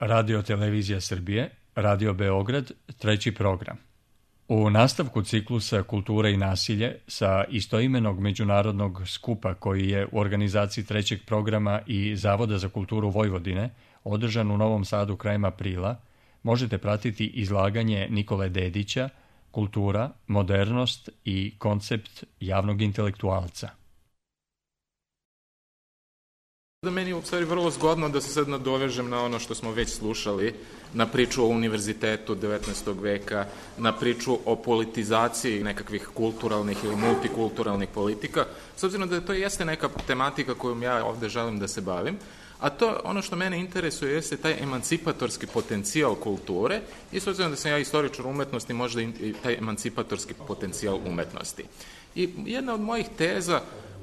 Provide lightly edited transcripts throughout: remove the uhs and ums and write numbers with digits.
Radio Televizija Srbije, Radio Beograd, treći program. U nastavku ciklusa Kultura i nasilje sa istoimenog međunarodnog skupa koji je u organizaciji trećeg programa i Zavoda za kulturu Vojvodine održan u Novom Sadu krajem aprila, možete pratiti izlaganje Nikole Dedića Kultura, modernost i koncept javnog intelektualca. Da meni je u stvari vrlo zgodno da se sad nadovežem na ono što smo već slušali, na priču o univerzitetu 19. veka, na priču o politizaciji nekakvih kulturalnih ili multikulturalnih politika, s obzirom da to jeste neka tematika kojom ja ovde želim da se bavim, a to ono što mene interesuje jeste taj emancipatorski potencijal kulture i s obzirom da sam ja istoričar umetnosti, možda i taj emancipatorski potencijal umetnosti. I jedna od mojih teza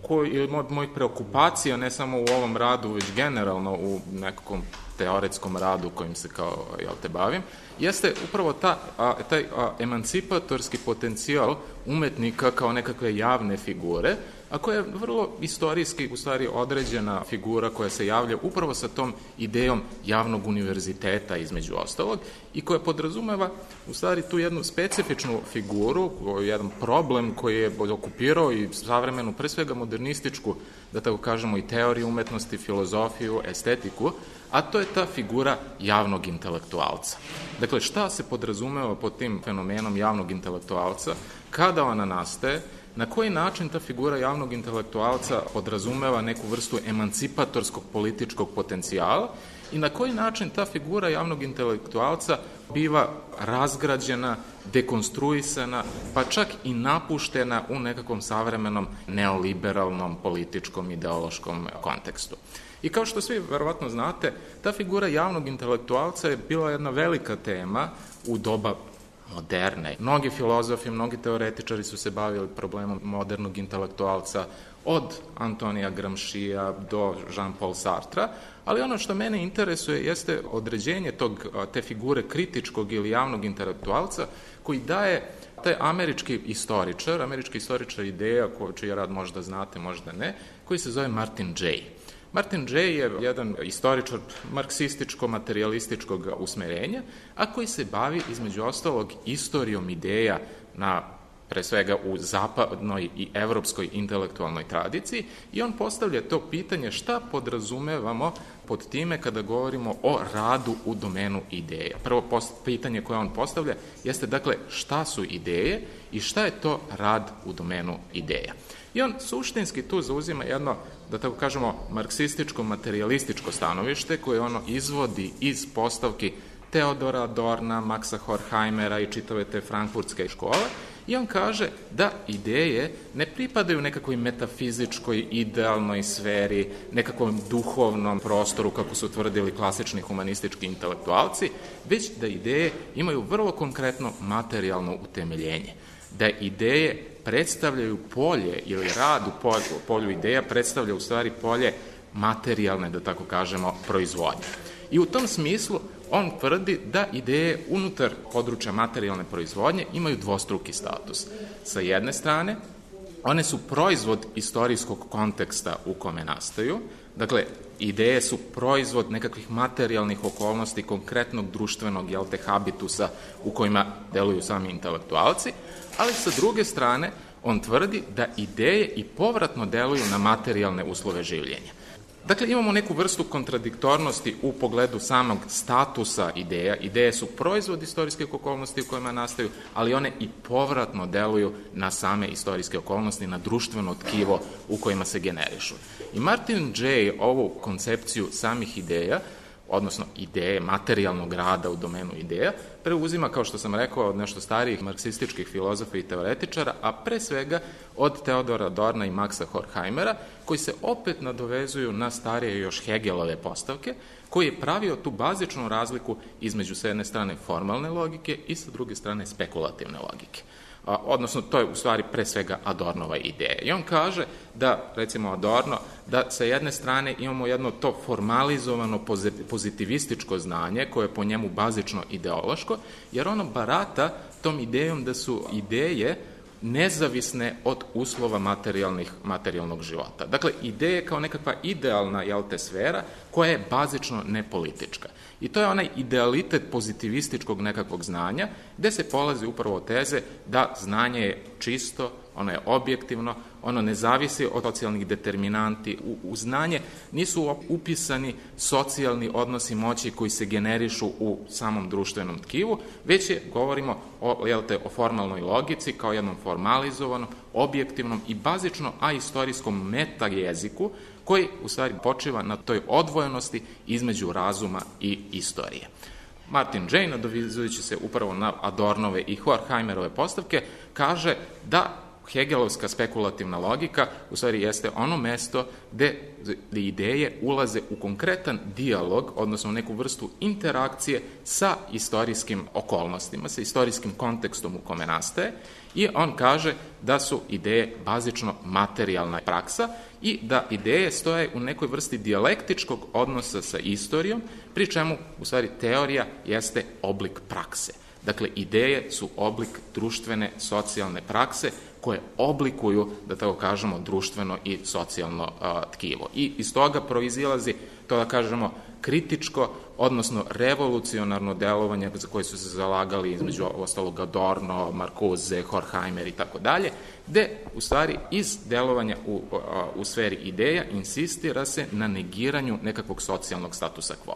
ili od mojih preokupacija, ne samo u ovom radu, već generalno u nekakvom teoretskom radu kojim se kao bavim, jeste upravo taj emancipatorski potencijal umetnika kao nekakve javne figure, a koja je vrlo istorijski u stvari određena figura koja se javlja upravo sa tom idejom javnog univerziteta između ostalog i koja podrazumeva u stvari tu jednu specifičnu figuru, jedan problem koji je okupirao i savremenu, pre svega modernističku, da tako kažemo, i teoriju umetnosti, filozofiju, estetiku, a to je ta figura javnog intelektualca. Dakle, šta se podrazumeva pod tim fenomenom javnog intelektualca, kada ona nastaje, na koji način ta figura javnog intelektualca podrazumeva neku vrstu emancipatorskog političkog potencijala i na koji način ta figura javnog intelektualca biva razgrađena, dekonstruisana, pa čak i napuštena u nekakvom savremenom neoliberalnom političkom ideološkom kontekstu. I kao što svi verovatno znate, ta figura javnog intelektualca je bila jedna velika tema u doba moderne. Mnogi filozofi, mnogi teoretičari su se bavili problemom modernog intelektualca, od Antonija Gramscija do Jean-Paul Sartra, ali ono što mene interesuje jeste određenje te figure kritičkog ili javnog intelektualca koji daje taj američki istoričar ideja, čiji rad možda znate, možda ne, koji se zove Martin Jay. Martin Jay je jedan istoričar marksističko-materialističkog usmerenja, a koji se bavi između ostalog istorijom ideja pre svega u zapadnoj i evropskoj intelektualnoj tradiciji i on postavlja to pitanje šta podrazumevamo pod time kada govorimo o radu u domenu ideja. Prvo pitanje koje on postavlja jeste dakle šta su ideje i šta je to rad u domenu ideja. I on suštinski tu zauzima jedno, da tako kažemo, marksističko-materialističko stanovište koje ono izvodi iz postavki Teodora Adorna, Maxa Horkheimera i čitave te frankfurtske škole i on kaže da ideje ne pripadaju nekakvoj metafizičkoj, idealnoj sferi, nekakvom duhovnom prostoru kako su tvrdili klasični humanistički intelektualci, već da ideje imaju vrlo konkretno materijalno utemeljenje. Da ideje predstavljaju polje ili rad u polju ideja predstavlja u stvari polje materijalne, da tako kažemo, proizvodnje. I u tom smislu on tvrdi da ideje unutar područja materijalne proizvodnje imaju dvostruki status. Sa jedne strane, one su proizvod istorijskog konteksta u kome nastaju, dakle, ideje su proizvod nekakvih materijalnih okolnosti, konkretnog društvenog, habitusa u kojima deluju sami intelektualci, ali sa druge strane, on tvrdi da ideje i povratno deluju na materijalne uslove življenja. Dakle, imamo neku vrstu kontradiktornosti u pogledu samog statusa ideja. Ideje su proizvod istorijskih okolnosti u kojima nastaju, ali one i povratno deluju na same istorijske okolnosti, na društveno tkivo u kojima se generišu. I Martin Jay ovu koncepciju samih ideja, odnosno ideje materijalnog rada u domenu ideja, preuzima, kao što sam rekao, od nešto starijih marksističkih filozofa i teoretičara, a pre svega od Teodora Adorna i Maxa Horkheimera, koji se opet nadovezuju na starije još Hegelove postavke, koji je pravio tu bazičnu razliku između s jedne strane formalne logike i sa druge strane spekulativne logike. Odnosno, to je u stvari pre svega Adornova ideja. I on kaže da, recimo Adorno, da sa jedne strane imamo jedno to formalizovano pozitivističko znanje koje je po njemu bazično ideološko, jer ono barata tom idejom da su ideje nezavisne od uslova materijalnog života. Dakle, ideje kao nekakva idealna sfera koja je bazično nepolitička. I to je onaj idealitet pozitivističkog nekakvog znanja, gde se polazi upravo od teze da znanje je čisto, ono je objektivno, ono ne zavisi od socijalnih determinanti. U znanje nisu upisani socijalni odnosi moći koji se generišu u samom društvenom tkivu, već govorimo o formalnoj logici kao jednom formalizovanom, objektivnom i bazično aistorijskom metajeziku koji u stvari počiva na toj odvojenosti između razuma i istorije. Martin Jay, nadovezujući se upravo na Adornove i Horkheimerove postavke, kaže da Hegelovska spekulativna logika u stvari jeste ono mesto gde ideje ulaze u konkretan dijalog, odnosno neku vrstu interakcije sa istorijskim okolnostima, sa istorijskim kontekstom u kome nastaje, i on kaže da su ideje bazično materijalna praksa i da ideje stoje u nekoj vrsti dijalektičkog odnosa sa istorijom, pri čemu u stvari teorija jeste oblik prakse. Dakle, ideje su oblik društvene, socijalne prakse koje oblikuju, da tako kažemo, društveno i socijalno tkivo. I iz toga proizilazi to, da kažemo, kritičko, odnosno revolucionarno delovanje za koje su se zalagali između ostalog Adorno, Marcuse, Horkheimer i tako dalje, gde u stvari iz delovanja u sferi ideja insistira se na negiranju nekakvog socijalnog statusa quo.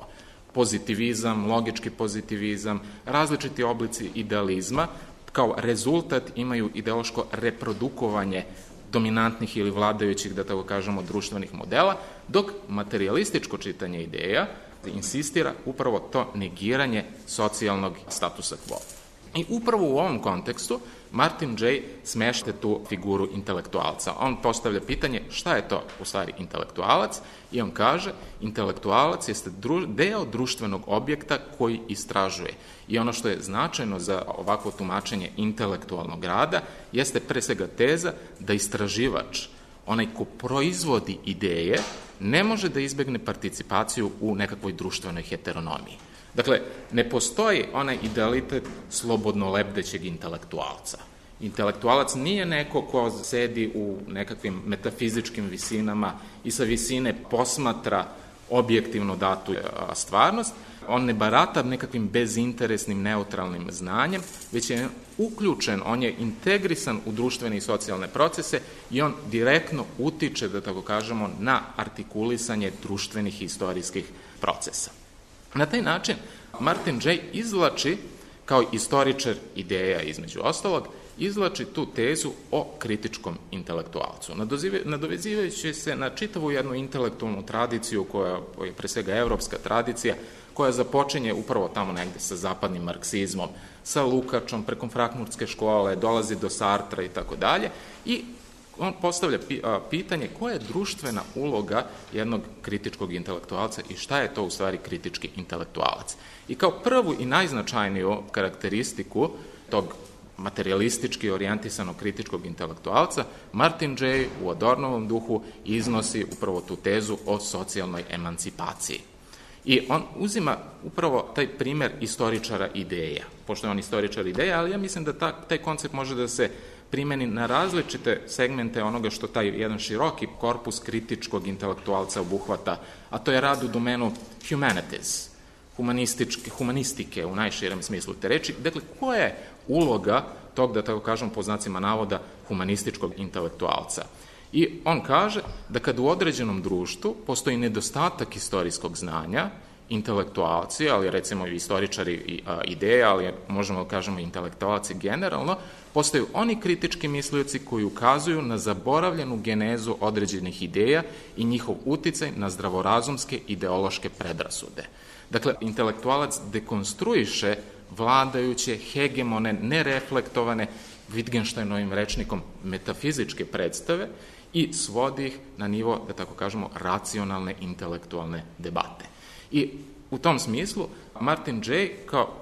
Pozitivizam, logički pozitivizam, različiti oblici idealizma kao rezultat imaju ideološko reprodukovanje dominantnih ili vladajućih, da tako kažemo, društvenih modela, dok materialističko čitanje ideja insistira upravo to negiranje socijalnog statusa quo. I upravo u ovom kontekstu Martin Jay smešta tu figuru intelektualca. On postavlja pitanje šta je to u stvari intelektualac i on kaže intelektualac jeste deo društvenog objekta koji istražuje. I ono što je značajno za ovakvo tumačenje intelektualnog rada jeste pre svega teza da istraživač, onaj ko proizvodi ideje, ne može da izbegne participaciju u nekakvoj društvenoj heteronomiji. Dakle, ne postoji onaj idealitet slobodno lebdećeg intelektualca. Intelektualac nije neko ko sedi u nekakvim metafizičkim visinama i sa visine posmatra objektivno datu stvarnost, on ne barata nekakvim bezinteresnim, neutralnim znanjem, već je uključen, on je integrisan u društvene i socijalne procese i on direktno utiče, da tako kažemo, na artikulisanje društvenih i istorijskih procesa. Na taj način Martin Jay izvlači, kao istoričar ideja između ostalog, izvlači tu tezu o kritičkom intelektualcu. Nadovezivajući se na čitavu jednu intelektualnu tradiciju koja je pre svega evropska tradicija, koja započinje upravo tamo negde sa zapadnim marksizmom, sa Lukačom, preko Frankfurtske škole, dolazi do Sartra i tako dalje, i on postavlja pitanje koja je društvena uloga jednog kritičkog intelektualca i šta je to u stvari kritički intelektualac. I kao prvu i najznačajniju karakteristiku tog materialistički orijentisanog kritičkog intelektualca, Martin Jay u Adornovom duhu iznosi upravo tu tezu o socijalnoj emancipaciji. I on uzima upravo taj primer istoričara ideja, pošto je on istoričar ideja, ali ja mislim da taj koncept može da se primeni na različite segmente onoga što taj jedan široki korpus kritičkog intelektualca obuhvata, a to je rad u domenu humanities, humanistike u najširem smislu te reči. Dakle, koja je uloga tog, da tako kažem po znacima navoda, humanističkog intelektualca? I on kaže da kad u određenom društvu postoji nedostatak istorijskog znanja, intelektualci, ali recimo i istoričari ideja, ali možemo da kažemo intelektualci generalno, postaju oni kritički mislioci koji ukazuju na zaboravljenu genezu određenih ideja i njihov uticaj na zdravorazumske ideološke predrasude. Dakle, intelektualac dekonstruiše vladajuće, hegemone, nereflektovane, Wittgensteinovim rečnikom metafizičke predstave i svodi ih na nivo, da tako kažemo, racionalne intelektualne debate. I u tom smislu Martin Jay kao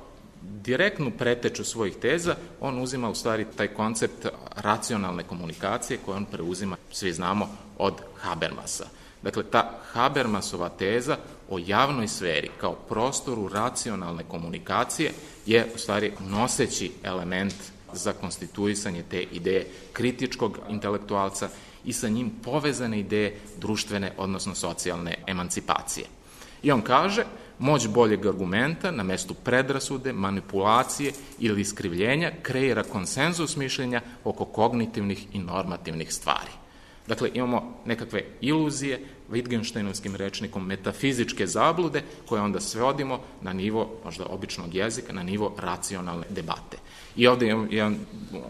direktnu preteču svojih teza, on uzima u stvari taj koncept racionalne komunikacije koju on preuzima, svi znamo, od Habermasa. Dakle, ta Habermasova teza o javnoj sferi kao prostoru racionalne komunikacije je u stvari noseći element za konstituisanje te ideje kritičkog intelektualca i sa njim povezane ideje društvene, odnosno socijalne emancipacije. I on kaže, moć boljeg argumenta na mestu predrasude, manipulacije ili iskrivljenja kreira konsenzus mišljenja oko kognitivnih i normativnih stvari. Dakle, imamo nekakve iluzije, Wittgensteinovskim rečnikom metafizičke zablude, koje onda svodimo na nivo, možda običnog jezika, na nivo racionalne debate. I ovde je jedan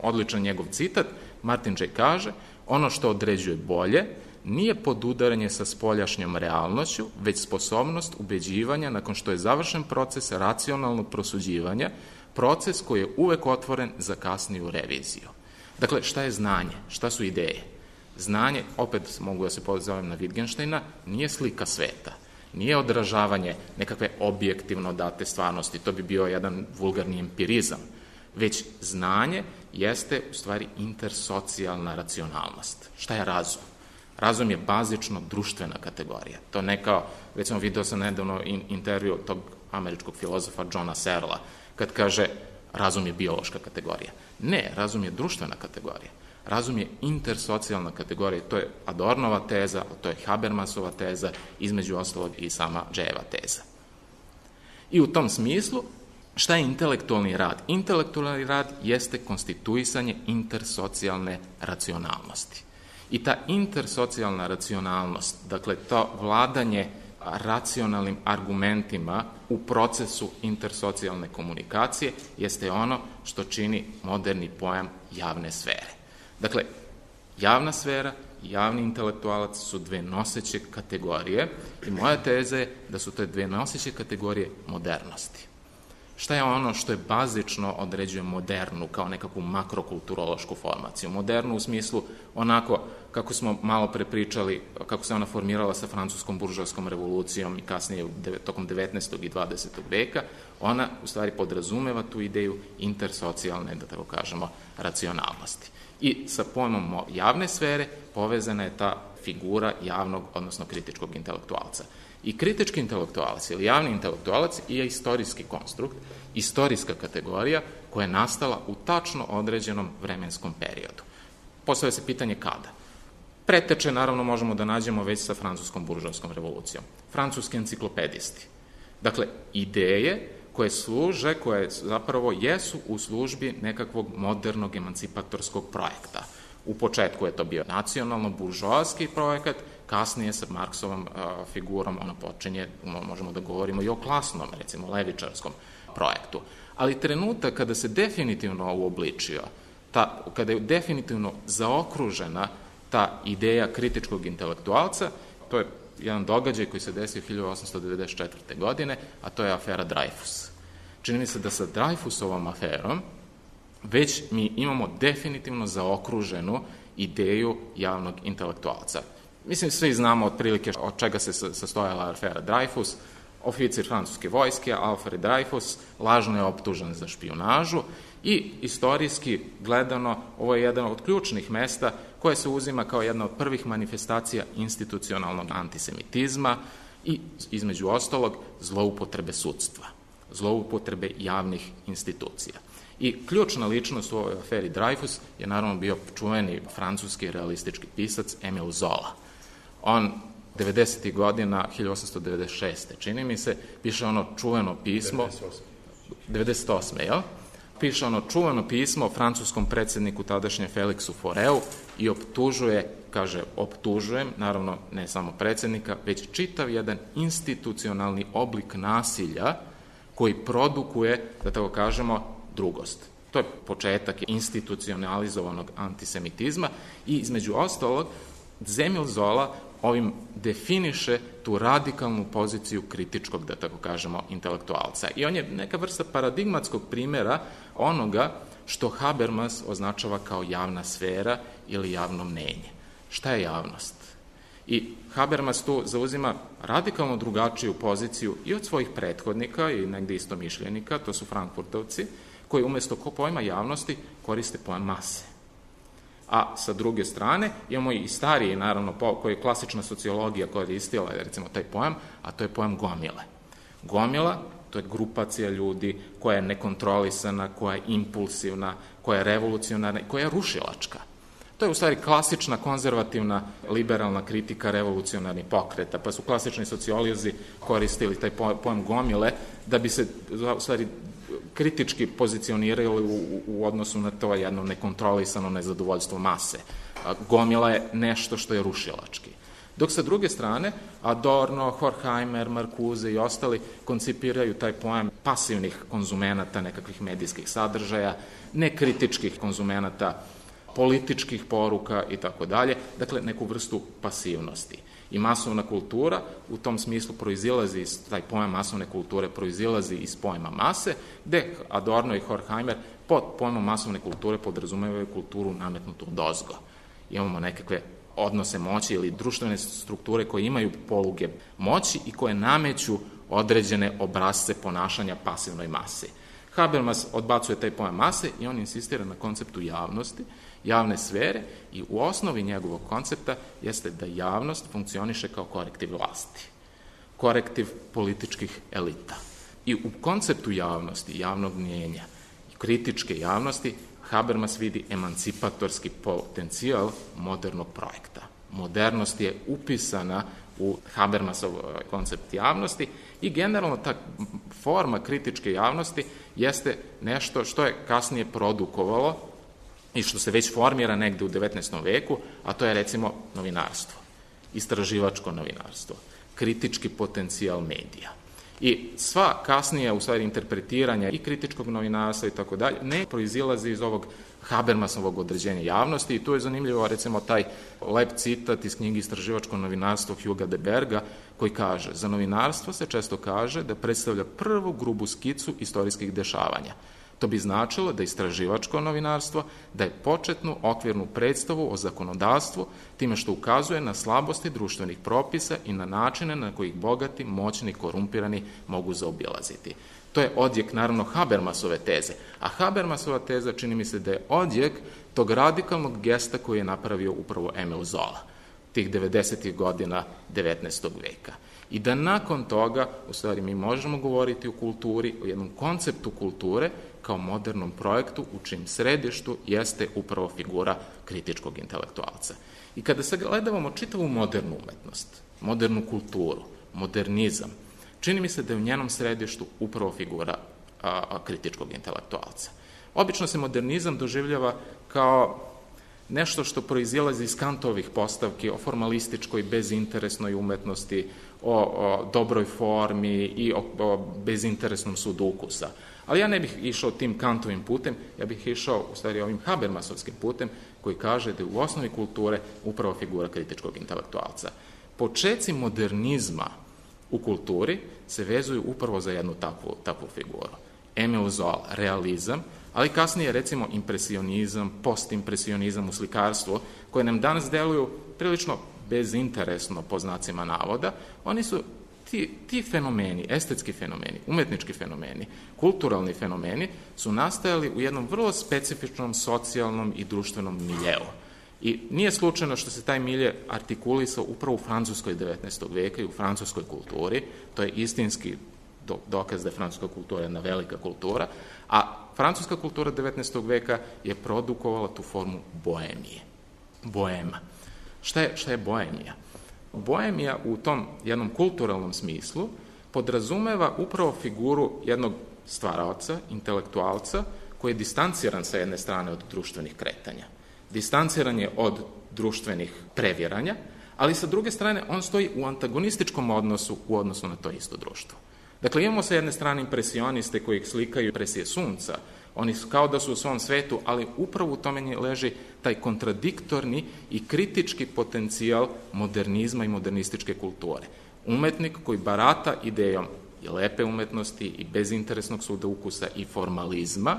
odličan njegov citat, Martin J. kaže, ono što određuje bolje nije podudaranje sa spoljašnjom realnošću, već sposobnost ubeđivanja nakon što je završen proces racionalnog prosuđivanja, proces koji je uvek otvoren za kasniju reviziju. Dakle, šta je znanje? Šta su ideje? Znanje, opet mogu da se pozovem na Wittgensteina, nije slika sveta, nije odražavanje nekakve objektivno date stvarnosti, to bi bio jedan vulgarni empirizam, već znanje jeste u stvari intersocijalna racionalnost. Šta je razum? Razum je bazično društvena kategorija. To ne kao, recimo video sam nedavno intervju tog američkog filozofa Johna Searla, kad kaže razum je biološka kategorija. Ne, razum je društvena kategorija. Razum je intersocijalna kategorija, to je Adornova teza, to je Habermasova teza, između ostalog i sama Jayeva teza. I u tom smislu, šta je intelektualni rad? Intelektualni rad jeste konstituisanje intersocijalne racionalnosti. I ta intersocijalna racionalnost, dakle to vladanje racionalnim argumentima u procesu intersocijalne komunikacije jeste ono što čini moderni pojam javne sfere. Dakle, javna sfera i javni intelektualac su dve noseće kategorije i moja teza je da su to dve noseće kategorije modernosti. Šta je ono što je bazično određuje modernu kao nekakvu makrokulturološku formaciju? Modernu u smislu onako kako smo malo pre pričali, kako se ona formirala sa francuskom buržoaskom revolucijom i kasnije tokom 19. i 20. veka, ona u stvari podrazumeva tu ideju intersocijalne, da tako kažemo, racionalnosti. I sa pojmom javne sfere povezana je ta figura javnog, odnosno kritičkog intelektualca. I kritički intelektualac ili javni intelektualac je istorijski konstrukt, istorijska kategorija koja je nastala u tačno određenom vremenskom periodu. Postavlja se pitanje kada. Preteče, naravno, možemo da nađemo već sa francuskom buržoaskom revolucijom. Francuski enciklopedisti. Dakle, ideje koje služe, koje zapravo jesu u službi nekakvog modernog emancipatorskog projekta. U početku je to bio nacionalno-buržoaski projekat, kasnije sa Marksovom figurom ono počinje, možemo da govorimo i o klasnom, recimo levičarskom projektu. Ali trenutak kada se definitivno uobličio, kada je definitivno zaokružena ta ideja kritičkog intelektualca, to je jedan događaj koji se desio 1894. godine, a to je afera Dreyfus. Čini mi se da sa Dreyfusovom aferom već mi imamo definitivno zaokruženu ideju javnog intelektualca. Mislim, svi znamo otprilike od čega se sastojala afera Dreyfus. Oficir francuske vojske, Alfred Dreyfus, lažno je optužen za špijunažu i istorijski gledano ovo je jedan od ključnih mesta koje se uzima kao jedna od prvih manifestacija institucionalnog antisemitizma i, između ostalog, zloupotrebe sudstva, zloupotrebe javnih institucija. I ključna ličnost u ovoj aferi Dreyfus je naravno bio čuveni francuski realistički pisac Emile Zola. On 90. godina, 1896. čini mi se, piše ono čuveno pismo, 98. jel? Piše ono čuveno pismo francuskom predsjedniku tadašnje Felixu Foreu i optužuje, kaže, optužujem, naravno ne samo predsjednika, već čitav jedan institucionalni oblik nasilja koji produkuje, da tako kažemo, drugost. To je početak institucionalizovanog antisemitizma i između ostalog Emile Zola ovim definiše tu radikalnu poziciju kritičkog, da tako kažemo, intelektualca. I on je neka vrsta paradigmatskog primjera onoga što Habermas označava kao javna sfera ili javno mnenje. Šta je javnost? I Habermas tu zauzima radikalno drugačiju poziciju i od svojih prethodnika i negde istomišljenika, to su Frankfurtovci, koji umjesto pojma javnosti koriste pojam mase. A sa druge strane imamo i stariji, naravno, koji je klasična sociologija koristila, recimo, taj pojam, a to je pojam gomile. Gomila to je grupacija ljudi koja je nekontrolisana, koja je impulsivna, koja je revolucionarna i koja je rušilačka. To je u stvari klasična, konzervativna, liberalna kritika revolucionarnih pokreta, pa su klasični sociolozi koristili taj pojam gomile da bi se u stvari kritički pozicionirali u odnosu na to jedno nekontrolisano nezadovoljstvo mase. Gomila je nešto što je rušilački. Dok sa druge strane, Adorno, Horkheimer, Marcuse i ostali koncipiraju taj pojam pasivnih konzumenata nekakvih medijskih sadržaja, nekritičkih konzumenata političkih poruka i tako dalje, dakle neku vrstu pasivnosti. I masovna kultura u tom smislu proizilazi iz, taj pojam masovne kulture proizilazi iz pojma mase, gde Adorno i Horkheimer pod pojmom masovne kulture podrazumevaju kulturu nametnutu odozgo. Imamo nekakve odnose moći ili društvene strukture koje imaju poluge moći i koje nameću određene obrasce ponašanja pasivnoj masi. Habermas odbacuje taj pojam mase i on insistira na konceptu javnosti, javne sfere i u osnovi njegovog koncepta jeste da javnost funkcioniše kao korektiv vlasti, korektiv političkih elita. I u konceptu javnosti, javnog mnjenja i kritičke javnosti Habermas vidi emancipatorski potencijal modernog projekta. Modernost je upisana u Habermasov koncept javnosti i generalno ta forma kritičke javnosti jeste nešto što je kasnije produkovalo i što se već formira negde u 19. veku, a to je recimo novinarstvo, istraživačko novinarstvo, kritički potencijal medija. I sva kasnije, u stvari, interpretiranja i kritičkog novinarstva i tako dalje, ne proizilazi iz ovog Habermasovog određenja javnosti i tu je zanimljivo, recimo, taj lep citat iz knjige Istraživačko novinarstvo Huga de Berga, koji kaže: za novinarstvo se često kaže da predstavlja prvu grubu skicu istorijskih dešavanja. To bi značilo da istraživačko novinarstvo daje početnu okvirnu predstavu o zakonodavstvu, time što ukazuje na slabosti društvenih propisa i na načine na kojih bogati, moćni, korumpirani mogu zaobilaziti. To je odjek, naravno, Habermasove teze. A Habermasova teza čini mi se da je odjek tog radikalnog gesta koji je napravio upravo Emil Zola, tih 90. godina 19. veka. I da nakon toga, u stvari, mi možemo govoriti o kulturi, o jednom konceptu kulture kao modernom projektu u čim središtu jeste upravo figura kritičkog intelektualca. I kada sagledavamo čitavu modernu umetnost, modernu kulturu, modernizam, čini mi se da je u njenom središtu upravo figura kritičkog intelektualca. Obično se modernizam doživljava kao nešto što proizilazi iz Kantovih postavki o formalističkoj, bezinteresnoj umetnosti, o dobroj formi i o bezinteresnom sudu ukusa. Ali ja ne bih išao tim Kantovim putem, ja bih išao u stvari ovim Habermasovskim putem koji kaže da je u osnovi kulture upravo figura kritičkog intelektualca. Počeci modernizma u kulturi se vezuju upravo za jednu takvu figuru. Emil Zola, realizam, ali kasnije recimo impresionizam, postimpresionizam u slikarstvu, koje nam danas deluju prilično bezinteresno po znacima navoda. Oni su ti fenomeni, estetski fenomeni, umetnički fenomeni, kulturalni fenomeni su nastajali u jednom vrlo specifičnom socijalnom i društvenom miljeu. I nije slučajno što se taj milje artikulisao upravo u Francuskoj 19. veka i u francuskoj kulturi. To je istinski dokaz da je francuska kultura jedna velika kultura, a francuska kultura 19. veka je produkovala tu formu boemije. Boema. Šta je boemija? Boemija u tom jednom kulturalnom smislu podrazumeva upravo figuru jednog stvaraoca, intelektualca, koji je distanciran sa jedne strane od društvenih kretanja. Distanciran je od društvenih previranja, ali sa druge strane on stoji u antagonističkom odnosu u odnosu na to isto društvo. Dakle, imamo sa jedne strane impresioniste koji slikaju impresije sunca, oni kao da su u svom svetu, ali upravo u tome leži taj kontradiktorni i kritički potencijal modernizma i modernističke kulture. Umetnik koji barata idejom i lepe umetnosti i bezinteresnog suda ukusa i formalizma,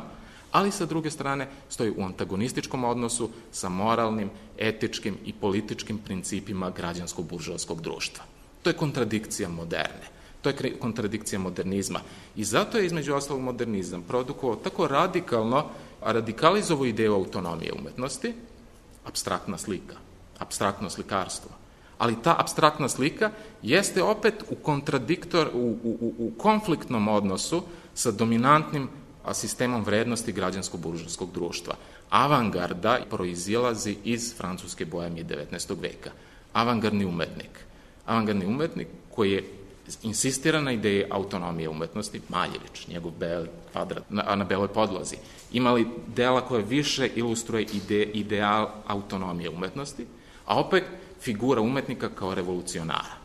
ali sa druge strane stoji u antagonističkom odnosu sa moralnim, etičkim i političkim principima građansko-buržovskog društva. To je kontradikcija moderne. To je kontradikcija modernizma. I zato je, između ostalog, modernizam produkovao tako radikalizovao ideju autonomije umetnosti, apstraktna slika, apstraktno slikarstvo, Ali ta apstraktna slika jeste opet u konfliktnom odnosu sa dominantnim sistemom vrednosti građansko-buržovskog društva. Avangarda proizilazi iz francuske bohemije 19. veka. Avangardni umetnik koji je insistira na ideji autonomije umetnosti, Maljević, njegov beli kvadrat na beloj podlozi, imali dela koje više ilustruje ideal autonomije umetnosti, a opet figura umetnika kao revolucionara.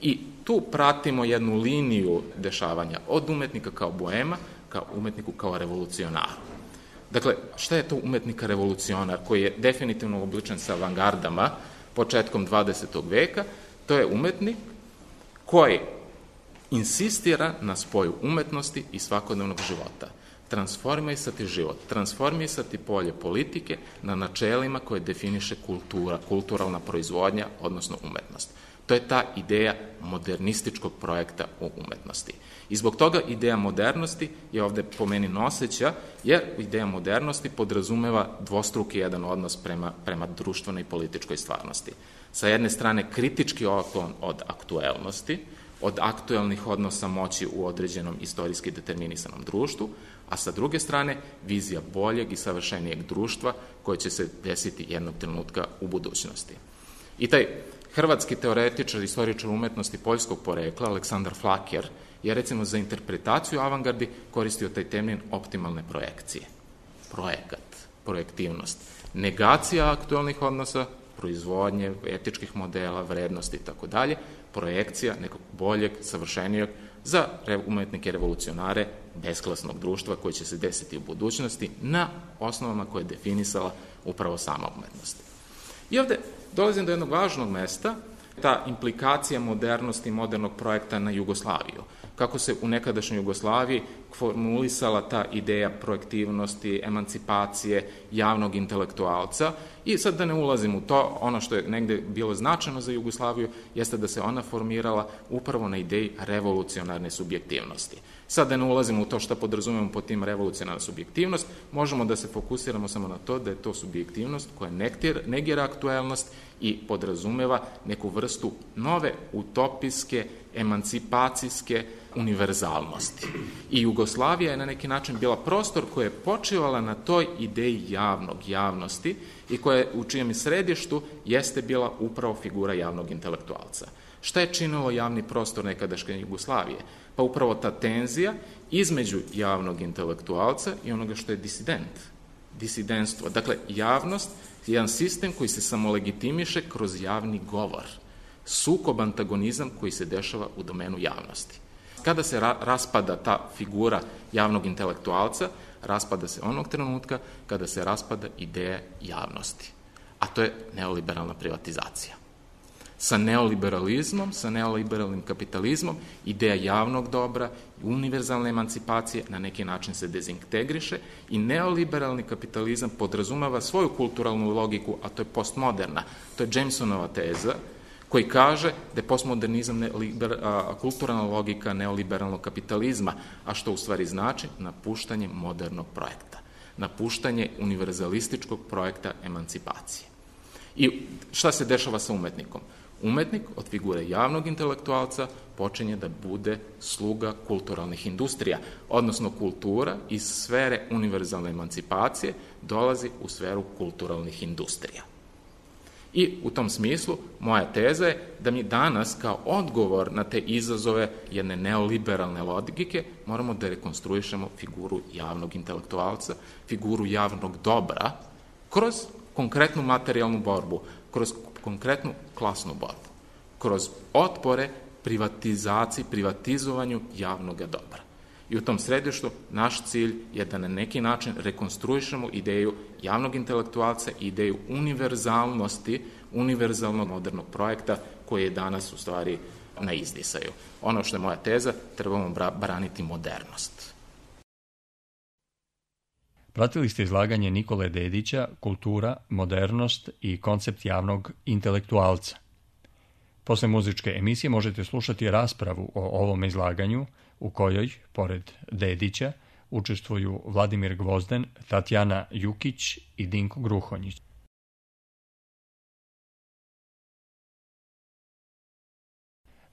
I tu pratimo jednu liniju dešavanja od umetnika kao boema, kao umetniku kao revolucionaru. Dakle, šta je to umetnika revolucionar koji je definitivno obličen sa avangardama početkom 20. veka? To je umetnik koji insistira na spoju umetnosti i svakodnevnog života. Transformisati život, transformisati polje politike na načelima koje definiše kulturalna proizvodnja, odnosno umetnost. To je ta ideja modernističkog projekta o umetnosti. I zbog toga ideja modernosti je ovde po meni noseća, jer ideja modernosti podrazumeva dvostruki jedan odnos prema društvenoj i političkoj stvarnosti. Sa jedne strane kritički otklon od aktuelnosti, od aktuelnih odnosa moći u određenom istorijski determinisanom društvu, a sa druge strane vizija boljeg i savršenijeg društva koje će se desiti jednog trenutka u budućnosti. I taj hrvatski teoretičar, istoričar umetnosti poljskog porekla, Aleksandar Flakjer, je recimo za interpretaciju avangardi koristio taj termin optimalne projekcije. Projekat, projektivnost, negacija aktuelnih odnosa, proizvodnje, etičkih modela, vrednosti i tako dalje, projekcija nekog boljeg, savršenijeg za umetnike revolucionare besklasnog društva koje će se desiti u budućnosti na osnovama koje je definisala upravo sama umetnost. I ovde dolazim do jednog važnog mesta, ta implikacija modernosti i modernog projekta na Jugoslaviju. Kako se u nekadašnjoj Jugoslaviji formulisala ta ideja projektivnosti, emancipacije, javnog intelektualca. I sad da ne ulazim u to, ono što je negde bilo značajno za Jugoslaviju jeste da se ona formirala upravo na ideji revolucionarne subjektivnosti. Sad da ne ulazimo u to šta podrazumemo pod tim revolucionarna subjektivnost, možemo da se fokusiramo samo na to da je to subjektivnost koja negira aktuelnost i podrazumeva neku vrstu nove utopijske, emancipacijske univerzalnosti. I Jugoslavija je na neki način bila prostor koja je počivala na toj ideji javnosti i koja u čijem središtu jeste bila upravo figura javnog intelektualca. Šta je činilo javni prostor nekadašnje Jugoslavije? Pa upravo ta tenzija između javnog intelektualca i onoga što je disidentstvo. Dakle, javnost je jedan sistem koji se samolegitimiše kroz javni govor. Sukob, antagonizam koji se dešava u domenu javnosti. Kada se raspada ta figura javnog intelektualca, raspada se onog trenutka kada se raspada ideja javnosti. A to je neoliberalna privatizacija. Sa neoliberalizmom, sa neoliberalnim kapitalizmom, ideja javnog dobra i univerzalne emancipacije na neki način se dezintegriše i neoliberalni kapitalizam podrazumeva svoju kulturalnu logiku, a to je postmoderna. To je Jamesonova teza, koji kaže da je postmodernizam kulturalna logika neoliberalnog kapitalizma, a što u stvari znači napuštanje modernog projekta, napuštanje univerzalističkog projekta emancipacije. I šta se dešava sa umetnikom? Umetnik od figure javnog intelektualca počinje da bude sluga kulturalnih industrija, odnosno kultura iz sfere univerzalne emancipacije dolazi u sferu kulturalnih industrija. I u tom smislu moja teza je da mi danas kao odgovor na te izazove jedne neoliberalne logike moramo da rekonstruišemo figuru javnog intelektualca, figuru javnog dobra kroz konkretnu materijalnu borbu, kroz konkretnu klasnu borbu, kroz otpore privatizaciji, privatizovanju javnog dobra. I u tom središtu naš cilj je da na neki način rekonstruišemo ideju javnog intelektualca i ideju univerzalnosti, univerzalnog modernog projekta koji je danas u stvari na izdisaju. Ono što je moja teza, trebamo braniti modernost. Pratili ste izlaganje Nikole Dedića, Kultura, modernost i koncept javnog intelektualca. Posle muzičke emisije možete slušati raspravu o ovom izlaganju u kojoj, pored Dedića, učestvuju Vladimir Gvozden, Tatjana Jukić i Dinko Gruhonjić.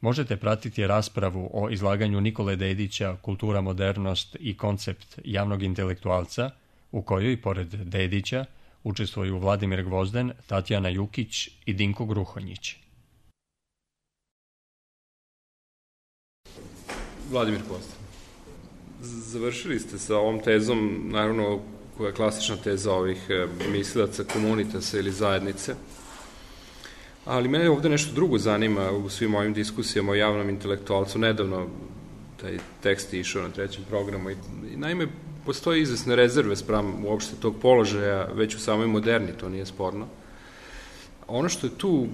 možete pratiti raspravu o izlaganju Nikole Dedića Kultura, modernost i koncept javnog intelektualca, u kojoj, pored Dedića, učestvuju Vladimir Gvozden, Tatjana Jukić i Dinko Gruhonjić. Vladimir Gvozden. Završili ste sa ovom tezom, naravno, koja je klasična teza ovih mislilaca, komunitasa ili zajednice, ali mene ovde nešto drugo zanima u svim ovim diskusijama o javnom intelektualcu. Nedavno taj tekst je išao na 3. programu i naime postoji izvesne rezerve spram uopšte tog položaja već u samoj moderni, to nije sporno. Ono što je tu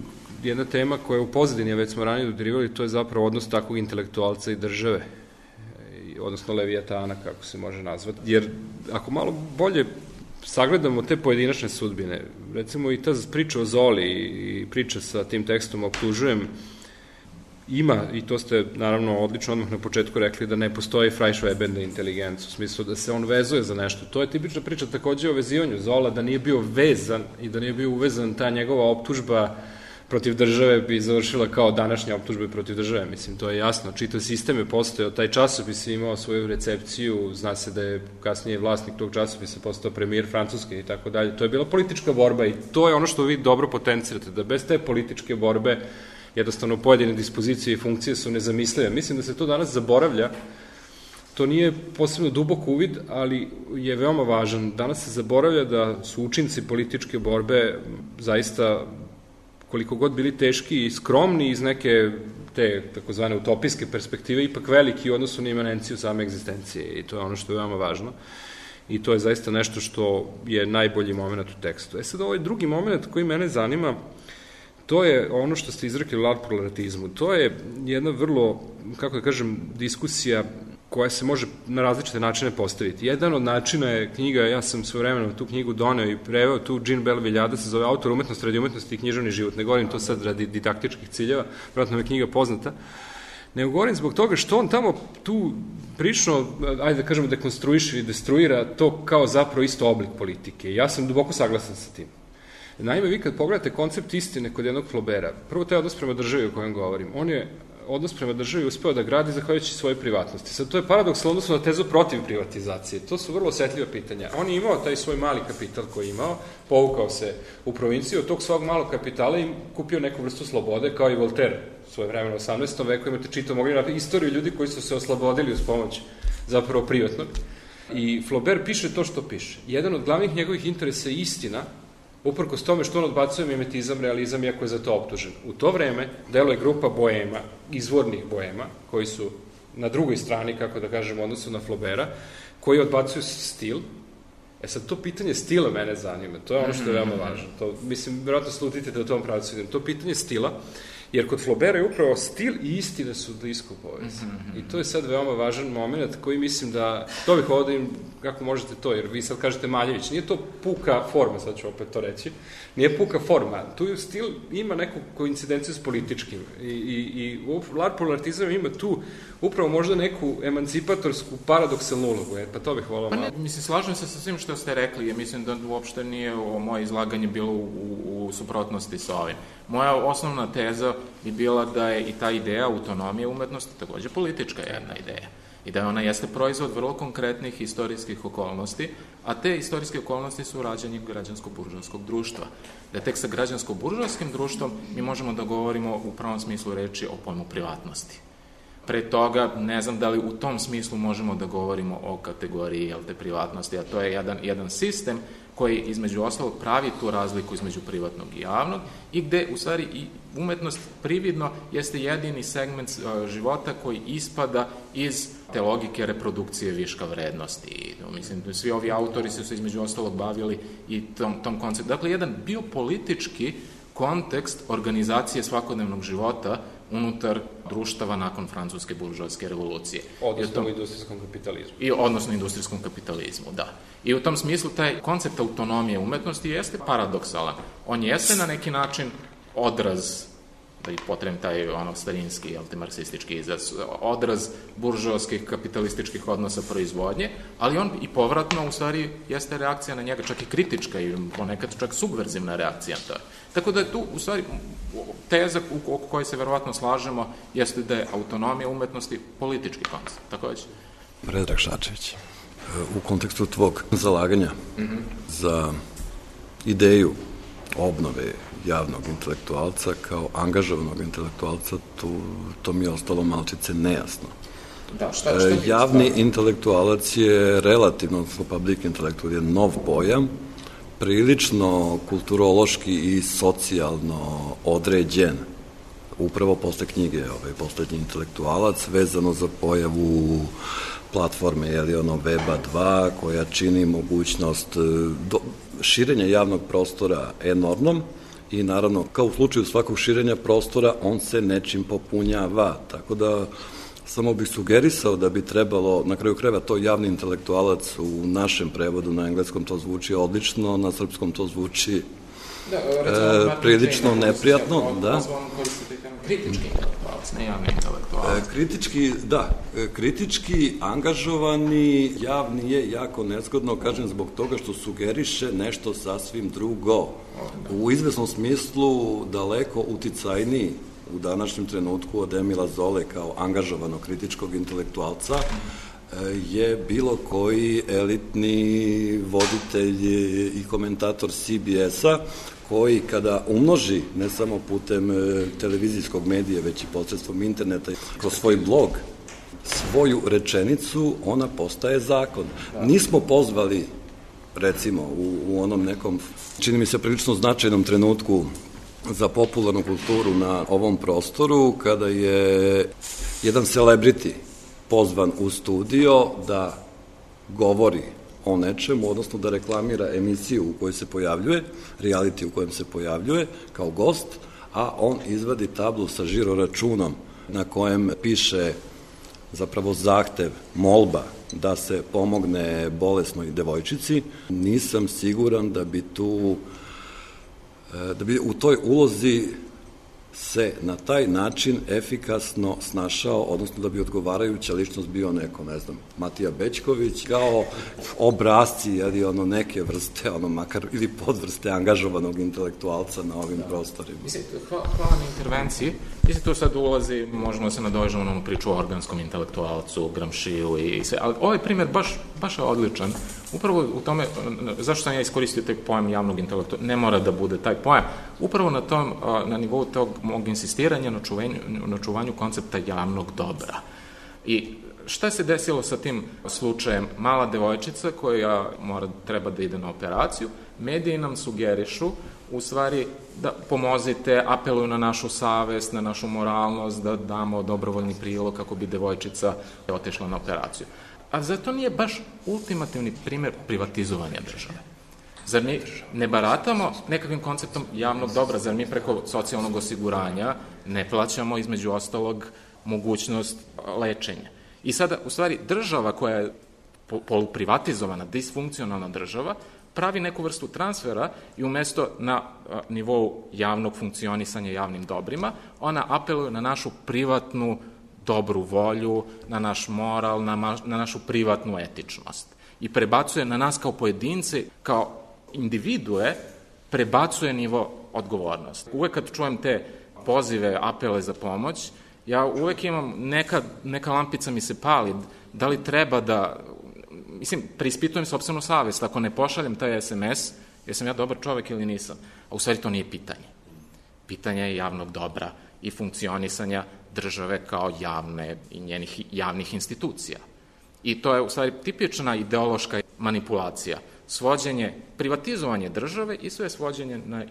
jedna tema koja je u pozadini, već smo ranije dodirivali, to je zapravo odnos takvog intelektualca i države, odnosno Levijatana, kako se može nazvati. Jer ako malo bolje sagledamo te pojedinačne sudbine, recimo i ta priča o Zoli i priča sa tim tekstom optužujem, ima, i to ste naravno odlično odmah na početku rekli, da ne postoji Freischweberne inteligencija, u smislu da se on vezuje za nešto. To je tipična priča takođe o vezivanju Zola, da nije bio vezan i da nije bio uvezan, ta njegova optužba protiv države bi završila kao današnja optužba protiv države. Mislim, to je jasno. Čitav sistem je postojao, taj časopis je imao svoju recepciju, zna se da je kasnije vlasnik tog časopisa postao premijer Francuske i tako dalje. To je bila politička borba i to je ono što vi dobro potencirate, da bez te političke borbe jednostavno pojedine dispozicije i funkcije su nezamislive. Mislim da se to danas zaboravlja. To nije posebno dubok uvid, ali je veoma važan. Danas se zaboravlja da su učinci političke borbe zaista, koliko god bili teški i skromni iz neke te takozvane utopijske perspektive, ipak veliki u odnosu na imanenciju same egzistencije, i to je ono što je veoma važno. I to je zaista nešto što je najbolji moment u tekstu. Sad, ovaj drugi moment koji mene zanima, to je ono što ste izrekli u larpurlartizmu. To je jedna vrlo, kako da kažem, diskusija koja se može na različite načine postaviti. Jedan od načina je knjiga, ja sam svojevremeno tu knjigu doneo i preveo tu Jean Bell-Viljada, se zove Autor umetnost, radi umetnosti i književni život. Ne govorim to sad radi didaktičkih ciljeva, vjerojatno je knjiga poznata, nego govorim zbog toga što on tamo tu prilično, ajde da kažemo, dekonstruiše i destruira to kao zapravo isto oblik politike. Ja sam duboko saglasan sa tim. Naime, vi kad pogledate koncept istine kod jednog Flaubera, prvo taj odnos prema državi o kojem govorim, on je odnos prema državi uspeo da gradi zahvaljujući svoje privatnosti. Sad, to je paradoks odnosno na tezu protiv privatizacije. To su vrlo osetljiva pitanja. On je imao taj svoj mali kapital koji je imao, povukao se u provinciju, od tog svog malog kapitala i kupio neku vrstu slobode, kao i Voltaire svoje vremena u 18. veku. Imate čitao, mogli napraviti istoriju ljudi koji su se oslobodili uz pomoć zapravo privatnog. I Flaubert piše to što piše. Jedan od glavnih njegovih interesa je istina, uprkos tome što on odbacuje mimetizam, realizam, iako je za to optužen. U to vreme deluje grupa boema, izvornih boema, koji su na drugoj strani, kako da kažem, u odnosu na Flaubera, koji odbacuju stil. Sad, to pitanje stila mene zanima, to je ono što je veoma važno. To, mislim, vjerojatno slutite da u tom pravcu idem. To pitanje stila, jer kod Flaubera je upravo stil i istina su blisko povezani. I to je sad veoma važan moment koji mislim da, to bih ovdje im, kako možete to, jer vi sad kažete Maljević, nije to puka forma, sad ću opet to reći, nije puka forma, tu stil ima neku koincidenciju s političkim i larpurlartizam ima tu upravo možda neku emancipatorsku paradoksalnu ulogu, pa to bih volao malo. Mislim, slažem se sa svim što ste rekli, ja mislim da uopšte nije moje izlaganje bilo u suprotnosti sa ovim. Moja osnovna teza bi bila da je i ta ideja autonomije umetnosti takođe politička jedna ideja. I da ona jeste proizvod vrlo konkretnih istorijskih okolnosti, a te istorijske okolnosti su rađanje građansko-buržovskog društva. Da tek sa građansko-buržovskim društvom mi možemo da govorimo u pravom smislu reči o pojmu privatnosti. Pre toga, ne znam da li u tom smislu možemo da govorimo o kategoriji privatnosti, a to je jedan sistem koji između ostalog pravi tu razliku između privatnog i javnog i gde u stvari i umetnost prividno jeste jedini segment života koji ispada iz te logike reprodukcije viška vrednosti. I, mislim, svi ovi autori su se između ostalog bavili i tom konceptu. Dakle, jedan biopolitički kontekst organizacije svakodnevnog života unutar društava nakon francuske buržoaske revolucije. Odnosno u industrijskom kapitalizmu. Odnosno industrijskom kapitalizmu, da. I u tom smislu taj koncept autonomije umetnosti jeste paradoksalan. On jeste na neki način odraz da i potrebim taj starinski, marksistički izraz, odraz buržoaskih kapitalističkih odnosa proizvodnje, ali on i povratno u stvari jeste reakcija na njega, čak i kritička i ponekad čak subverzivna reakcija na to. Tako da je tu u stvari teza oko koje se verovatno slažemo jeste da je autonomija umetnosti politički koncept. Tako već? Predrag Šačević, u kontekstu tvog zalaganja za ideju obnove javnog intelektualca kao angažovanog intelektualca, to mi je ostalo malčice nejasno. Da, šta javni intelektualac je relativno, odnosno public intelektual je nov pojam, prilično kulturološki i socijalno određen. Upravo posle knjige Poslednji intelektualac, vezano za pojavu platforme Weba 2, koja čini mogućnost širenja javnog prostora enormnom i naravno, kao u slučaju svakog širenja prostora, on se nečim popunjava. Tako da samo bih sugerisao da bi trebalo, na kraju krajeva, to javni intelektualac u našem prevodu, na engleskom to zvuči odlično, na srpskom to zvuči prilično neprijatno. Kritički intelektualac, ne javni intelektualac. Kritički angažovani javni je jako nezgodno, kažem, zbog toga što sugeriše nešto sasvim drugo. U izvesnom smislu daleko uticajniji u današnjem trenutku od Emila Zole kao angažovanog kritičkog intelektualca je bilo koji elitni voditelj i komentator CBS-a koji kada umnoži, ne samo putem televizijskog medija, već i posredstvom interneta, kroz svoj blog, svoju rečenicu, ona postaje zakon. Nismo pozvali, recimo, u onom nekom, čini mi se, prilično značajnom trenutku za popularnu kulturu na ovom prostoru, kada je jedan celebrity pozvan u studio da govori o nečemu, odnosno da reklamira emisiju u kojoj se pojavljuje, reality u kojem se pojavljuje kao gost, a on izvadi tablu sa žiroračunom na kojem piše zapravo zahtev, molba da se pomogne bolesnoj devojčici. Nisam siguran da bi u toj ulozi se na taj način efikasno snašao, odnosno da bi odgovarajuća ličnost bio neko, ne znam, Matija Bećković, kao obrazci, neke vrste, makar ili podvrste angažovanog intelektualca na ovim prostorima. Hvala na intervenciji. Mislim, tu sad ulazi, možemo se nadovežemo na onu priču o organskom intelektualcu, Gramšiju i sve, ali ovaj primjer baš je odličan. Upravo u tome, zašto sam ja iskoristio taj pojam javnog intelektualca, ne mora da bude taj pojam, upravo na nivou tog mog insistiranja na čuvanju koncepta javnog dobra. I šta se desilo sa tim slučajem? Mala devojčica koja treba da ide na operaciju, mediji nam sugerišu u stvari da pomozite, apeluju na našu savest, na našu moralnost, da damo dobrovoljni prilog kako bi devojčica otišla na operaciju. A zato nije baš ultimativni primjer privatizovanja države. Zar mi ne baratamo nekakvim konceptom javnog dobra? Zar mi preko socijalnog osiguranja ne plaćamo između ostalog mogućnost lečenja? I sada, u stvari, država koja je poluprivatizovana, disfunkcionalna država, pravi neku vrstu transfera i umesto na nivou javnog funkcionisanja javnim dobrima, ona apeluje na našu privatnu dobru volju, na naš moral, na našu privatnu etičnost. I prebacuje na nas kao pojedince, kao individue, prebacuje nivo odgovornosti. Uvek kad čujem te pozive, apele za pomoć, ja uvek imam, neka lampica mi se pali, da li treba da, preispitujem sopstvenu savest, ako ne pošaljem taj SMS, jesam ja dobar čovek ili nisam. A u stvari to nije pitanje. Pitanje je javnog dobra i funkcionisanja države kao javne i njenih javnih institucija. I to je u stvari tipična ideološka manipulacija. Privatizovanje države i sve svođenje na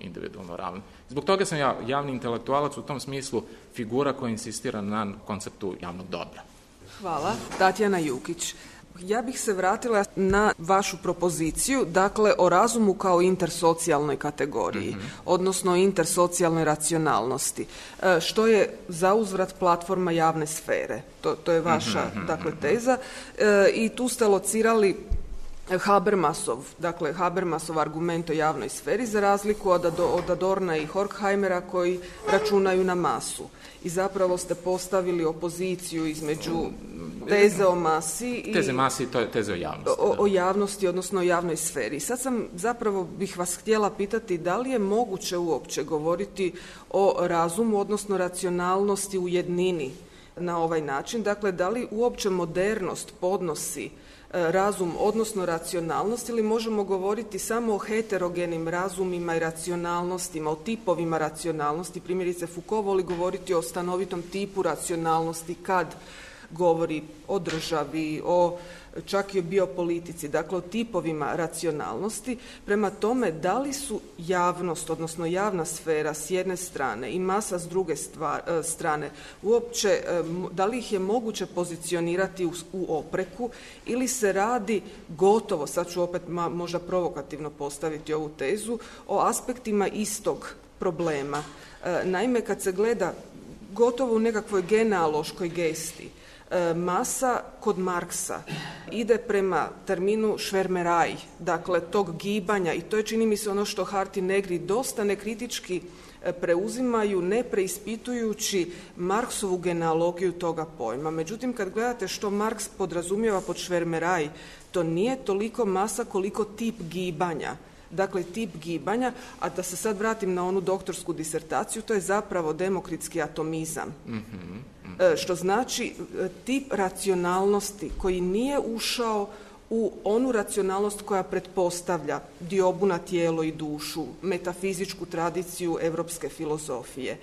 individualno ravno. Zbog toga sam ja javni intelektualac u tom smislu figura koja insistira na konceptu javnog dobra. Hvala. Tatjana Jukić. Ja bih se vratila na vašu propoziciju, dakle o razumu kao intersocijalnoj kategoriji, odnosno intersocijalnoj racionalnosti. Što je zauzvrat platforma javne sfere? To je vaša teza. I tu ste locirali Habermasov argument o javnoj sferi za razliku od Adorna i Horkheimera koji računaju na masu. I zapravo ste postavili opoziciju između teze o masi i... Teze masi, to je teze o javnosti. O javnosti, odnosno o javnoj sferi. Sad bih vas htjela pitati da li je moguće uopće govoriti o razumu, odnosno racionalnosti u jednini na ovaj način. Dakle, da li uopće modernost podnosi razum, odnosno racionalnost, ili možemo govoriti samo o heterogenim razumima i racionalnostima, o tipovima racionalnosti. Primjerice, Foucault voli govoriti o stanovitom tipu racionalnosti kad govori o državi, čak i o biopolitici, dakle o tipovima racionalnosti. Prema tome, da li su javnost, odnosno javna sfera s jedne strane i masa s druge strane, uopće, da li ih je moguće pozicionirati u opreku ili se radi gotovo, sad ću opet možda provokativno postaviti ovu tezu, o aspektima istog problema. Naime, kad se gleda gotovo u nekakvoj genealoškoj gesti, masa kod Marksa ide prema terminu švermeraj, dakle tog gibanja, i to je, čini mi se, ono što Hart i Negri dosta nekritički preuzimaju, ne preispitujući Marksovu genealogiju toga pojma. Međutim, kad gledate što Marks podrazumijeva pod švermeraj, to nije toliko masa koliko tip gibanja. Dakle, tip gibanja, a da se sad vratim na onu doktorsku disertaciju, to je zapravo demokritski atomizam. Što znači tip racionalnosti koji nije ušao u onu racionalnost koja pretpostavlja diobu na tijelo i dušu, metafizičku tradiciju europske filozofije.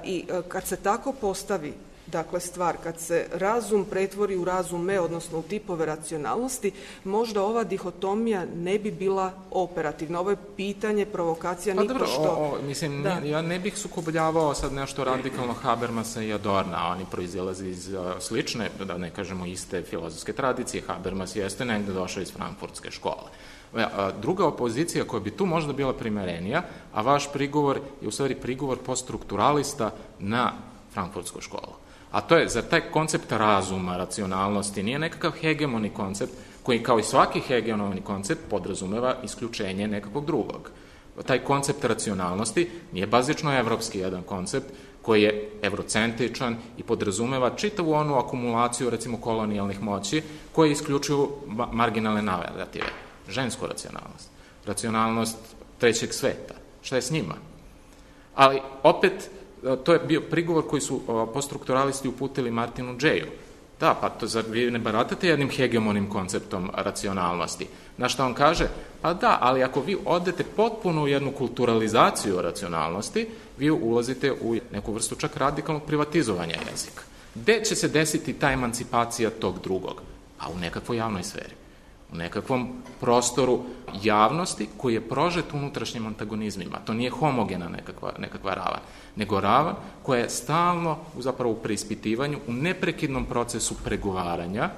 I kad se tako postavi, dakle, stvar, kad se razum pretvori u razume, odnosno u tipove racionalnosti, možda ova dihotomija ne bi bila operativna. Ovo je pitanje, provokacija, nipošto... Ja ne bih sukobljavao sad nešto radikalno Habermasa i Adorna, oni proizilaze iz slične, da ne kažemo iste filozofske tradicije. Habermas jeste negde došao iz frankfurtske škole. Druga opozicija koja bi tu možda bila primerenija, a vaš prigovor je u stvari prigovor poststrukturalista na frankfurtsku školu. A to je, za taj koncept razuma, racionalnosti, nije nekakav hegemoni koncept koji, kao i svaki hegemoni koncept, podrazumeva isključenje nekakvog drugog. Taj koncept racionalnosti nije bazično evropski jedan koncept koji je evrocentričan i podrazumeva čitavu onu akumulaciju, recimo, kolonijalnih moći koje isključuju marginalne narative. Žensku racionalnost, racionalnost trećeg sveta. Šta je s njima? Ali, opet, to je bio prigovor koji su poststrukturalisti uputili Martinu Džeju. Da, pa zar vi ne baratate jednim hegemonim konceptom racionalnosti? Na što on kaže? Pa da, ali ako vi odete potpuno u jednu kulturalizaciju racionalnosti, vi ulazite u neku vrstu čak radikalnog privatizovanja jezika. Gde će se desiti ta emancipacija tog drugog? Pa u nekakvoj javnoj sferi. U nekakvom prostoru javnosti koji je prožet unutrašnjim antagonizmima. To nije homogena nekakva ravan, nego ravan koja je stalno zapravo u preispitivanju, u neprekidnom procesu pregovaranja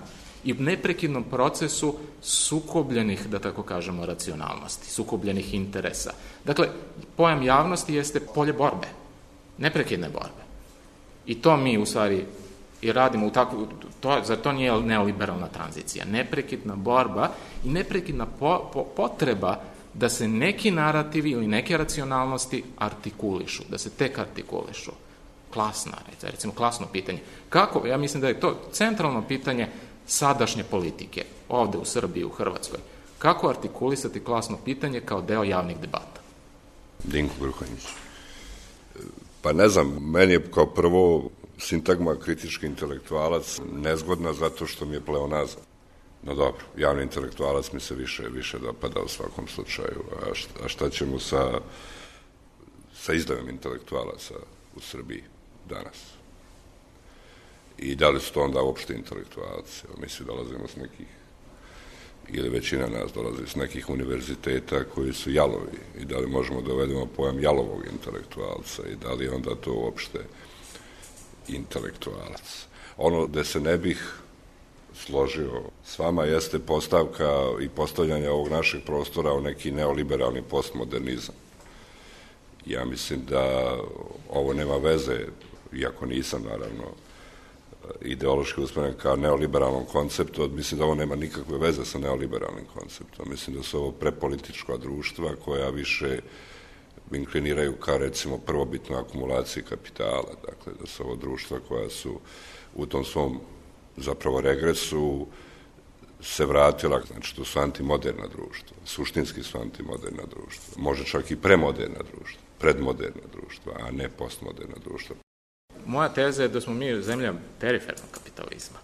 i u neprekidnom procesu sukobljenih, da tako kažemo, racionalnosti, sukobljenih interesa. Dakle, pojam javnosti jeste polje borbe, neprekidne borbe. I to mi u stvari i radimo u takvu, zar to nije neoliberalna tranzicija? Neprekidna borba i neprekidna potreba da se neki narativi ili neke racionalnosti artikulišu, da se tek artikulišu. Recimo klasno pitanje. Kako? Ja mislim da je to centralno pitanje sadašnje politike, ovde u Srbiji, u Hrvatskoj. Kako artikulisati klasno pitanje kao deo javnih debata? Dinko Gruhanić. Pa ne znam, meni je kao prvo sintagma kritički intelektualac nezgodna zato što mi je pleonazam. No dobro, javni intelektualac mi se više dopada u svakom slučaju. A šta ćemo sa izdajom intelektualaca u Srbiji danas? I da li su to onda uopšte intelektualci? Mi svi dolazimo s nekih, ili većina nas dolazi s nekih univerziteta koji su jalovi. I da li možemo da uvedemo pojam jalovog intelektualca i da li onda to uopšte intelektualac. Ono gde se ne bih složio s vama jeste postavka i postavljanje ovog našeg prostora u neki neoliberalni postmodernizam. Ja mislim da ovo nema veze, iako nisam naravno ideološki usmjeren kao neoliberalnom konceptu. Mislim da ovo nema nikakve veze sa neoliberalnim konceptom. Mislim da su ovo prepolitička društva koja više inkliniraju ka, recimo, prvobitnoj akumulaciji kapitala. Dakle, da su ovo društva koja su u tom svom zapravo regresu se vratila, znači to su antimoderna društva, suštinski su antimoderna društva, može čak i premoderna društva, predmoderna društva, a ne postmoderna društva. Moja teza je da smo mi zemlja perifernog kapitalizma.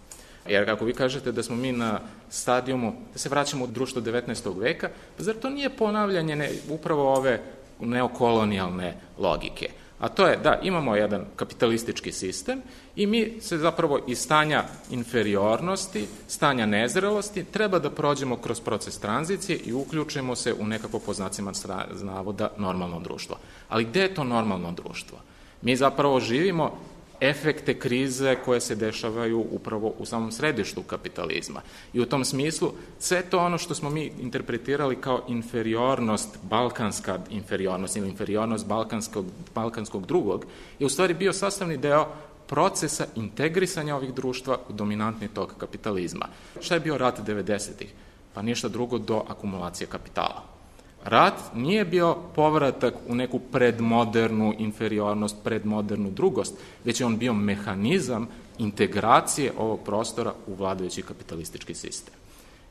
Jer kako vi kažete da smo mi na stadijumu, da se vraćamo u društvo 19. veka, pa zar to nije ponavljanje upravo ove neokolonijalne logike? A to je da imamo jedan kapitalistički sistem i mi se zapravo iz stanja inferiornosti, stanja nezrelosti, treba da prođemo kroz proces tranzicije i uključimo se u nekako po znacima navoda normalno društvo. Ali gde je to normalno društvo? Mi zapravo živimo efekte krize koje se dešavaju upravo u samom središtu kapitalizma. I u tom smislu sve to ono što smo mi interpretirali kao inferiornost, balkanska inferiornost ili inferiornost balkanskog drugog, je u stvari bio sastavni deo procesa integrisanja ovih društva u dominantni tok kapitalizma. Šta je bio rat 90-ih? Pa ništa drugo do akumulacije kapitala. Rat nije bio povratak u neku predmodernu inferiornost, predmodernu drugost, već je on bio mehanizam integracije ovog prostora u vladajući kapitalistički sistem.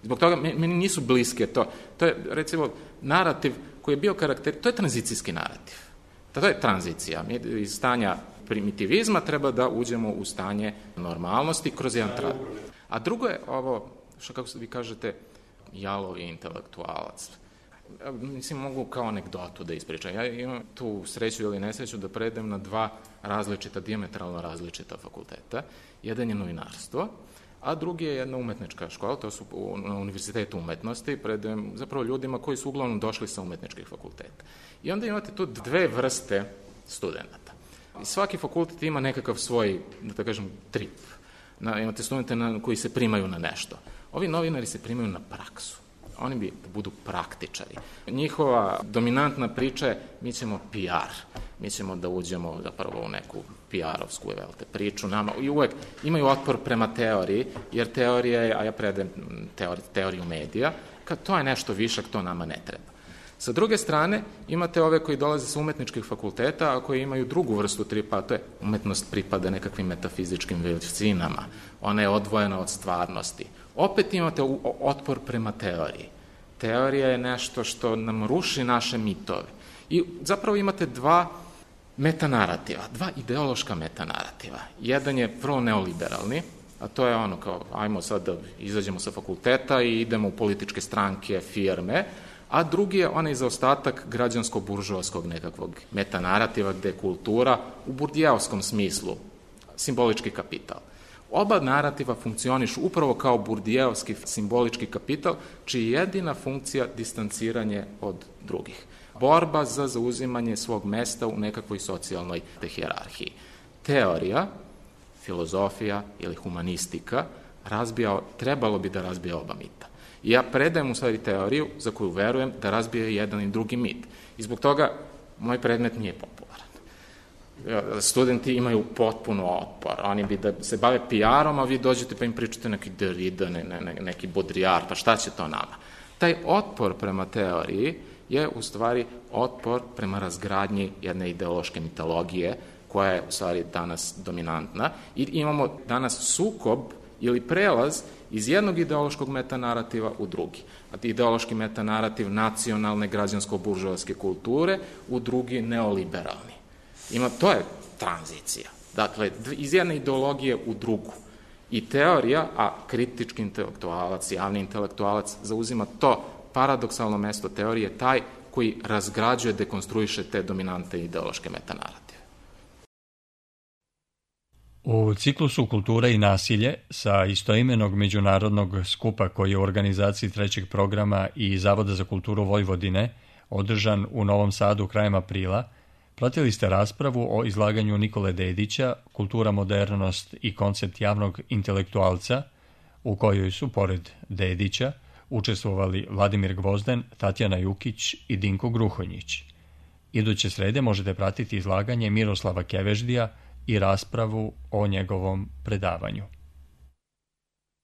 Zbog toga meni nisu bliske to. To je, recimo, narativ koji je bio to je tranzicijski narativ. To je tranzicija. Mi iz stanja primitivizma treba da uđemo u stanje normalnosti kroz jedan trad. A drugo je ovo, što kako vi kažete, jalovi intelektualac. Mislim, mogu kao anegdotu da ispričam. Ja imam tu sreću ili nesreću da predem na dva dijametralno različita fakulteta. Jedan je novinarstvo, a drugi je jedna umetnička škola, to su na Univerzitetu umetnosti, predajem zapravo ljudima koji su uglavnom došli sa umetničkih fakulteta. I onda imate tu dve vrste studenta. I svaki fakultet ima nekakav svoj, da kažem, trip. Imate studente koji se primaju na nešto. Ovi novinari se primaju na praksu. Oni bi da budu praktičari. Njihova dominantna priča je mi ćemo PR. Mi ćemo da uđemo zapravo u neku PR-ovsku priču. I uvek imaju otpor prema teoriji, jer teorija je, a ja predajem teoriju medija, kad to je nešto višak, to nama ne treba. Sa druge strane, imate ove koji dolaze sa umetničkih fakulteta, a koji imaju drugu vrstu tripa, a to je umetnost pripada nekakvim metafizičkim veličinama. Ona je odvojena od stvarnosti. Opet imate otpor prema teoriji. Teorija je nešto što nam ruši naše mitove. I zapravo imate dva metanarativa, dva ideološka metanarativa. Jedan je vrlo neoliberalni, a to je ono kao, ajmo sad da izađemo sa fakulteta i idemo u političke stranke, firme, a drugi je onaj zaostatak građansko-buržovaskog nekakvog metanarativa gde je kultura u burdijevskom smislu, simbolički kapital. Oba narativa funkcionišu upravo kao burdijevski simbolički kapital, čiji je jedina funkcija distanciranje od drugih. Borba za zauzimanje svog mesta u nekakvoj socijalnoj hijerarhiji. Teorija, filozofija ili humanistika trebalo bi da razbija oba mita. I ja predajem u stvari teoriju za koju verujem da razbije jedan i drugi mit. I zbog toga moj predmet nije popularan. Studenti imaju potpuno otpor. Oni bi da se bave PR-om, a vi dođete pa im pričate neki Derrida, neki Baudrillard, pa šta će to nama? Taj otpor prema teoriji je u stvari otpor prema razgradnji jedne ideološke mitologije koja je u stvari danas dominantna. I imamo danas sukob ili prelaz iz jednog ideološkog metanarativa u drugi. A ideološki metanarativ nacionalne građansko-buržovaske kulture u drugi neoliberalni. To je tranzicija. Dakle, iz jedne ideologije u drugu. I teorija, a kritički intelektualac, javni intelektualac zauzima to paradoksalno mesto teorije, taj koji razgrađuje, dekonstruiše te dominante ideološke metanarative. U ciklusu Kultura i nasilje sa istoimenog međunarodnog skupa koji je u organizaciji trećeg programa i Zavoda za kulturu Vojvodine održan u Novom Sadu krajem aprila, pratili ste raspravu o izlaganju Nikole Dedića Kultura, modernost i koncept javnog intelektualca, u kojoj su, pored Dedića, učestvovali Vladimir Gvozden, Tatjana Jukić i Dinko Gruhonjić. Iduće srede možete pratiti izlaganje Miroslava Keveždija i raspravu o njegovom predavanju.